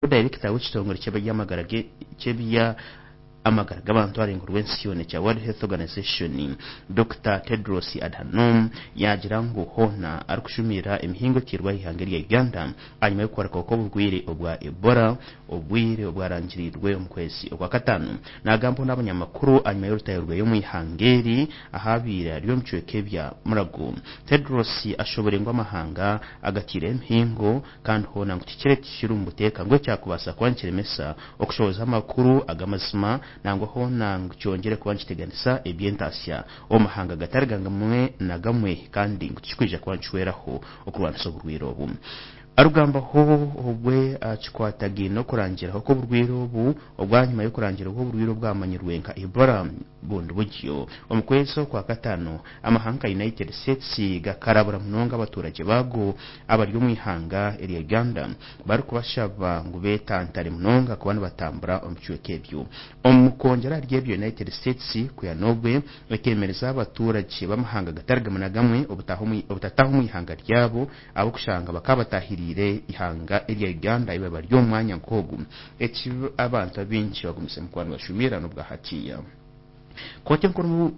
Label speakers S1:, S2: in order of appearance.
S1: Dayirekita w'ekitongore ky'ebyamagara ky'ebya amagara g'abantu aharengo rw'ensi yoona ekya World Health Organization, Dokita Tedros Adhanom yaagira ngu hoona arikushumirira emihingo eteirwe aha ihanga erya Uganda ahanyima y'okuhoreka kw'oburwaire obwa Ebola obwire obwarangiriirwe omu kwezi Okwakataano. Naagambaho n'abanyamakuru ahanyima y'orutaayo rweye omu ihanga eri ahabaire ari omu bicweka ebya Murago. Tedros ashoboire ngu amahanga agateireho emihingo kandi hoona ngu tikiri ekiri omu buteeka ngu ekyakubaasa kuba nikiremesa okushohoza amakuru ag'amazima nangwa hoona ngu kyongyere kuba nikiteganisa eby'entaasya omu mahanga gatari gamwe na gamwe kandi ngu tikikwija kuba nikihweraho okurwanisa oburwaire obu. Arugambaho obwe akikwatagaine n'okurangiraho kw'oburwaire obu obwanyima y'okurangirwa kw'oburwaire obwamanyirwe nka Ebola bundi buryo. Omu kwezi Okwakataano, amahanga nka United States gakarabura munonga abaturagye baago abari omu ihanga erya Uganda barikubashaba ngu betantare munonga kuba nibatambura omu bicweka ebyo. Omu kwongyera ahari ebyo, United States kwiha n'obwe ekeemereza abaturagye b'amahanga gatari gamwe na gamwe obutataaha omu ihanga ryabo ahabw'okushanga bakaba bataahiriire ihanga erya Uganda ahi bari omu mwanya nk'ogu. Eki abantu abaingi bagumizemu kuba nibashumirira n'obwa hatiiya. Kooti enkuru.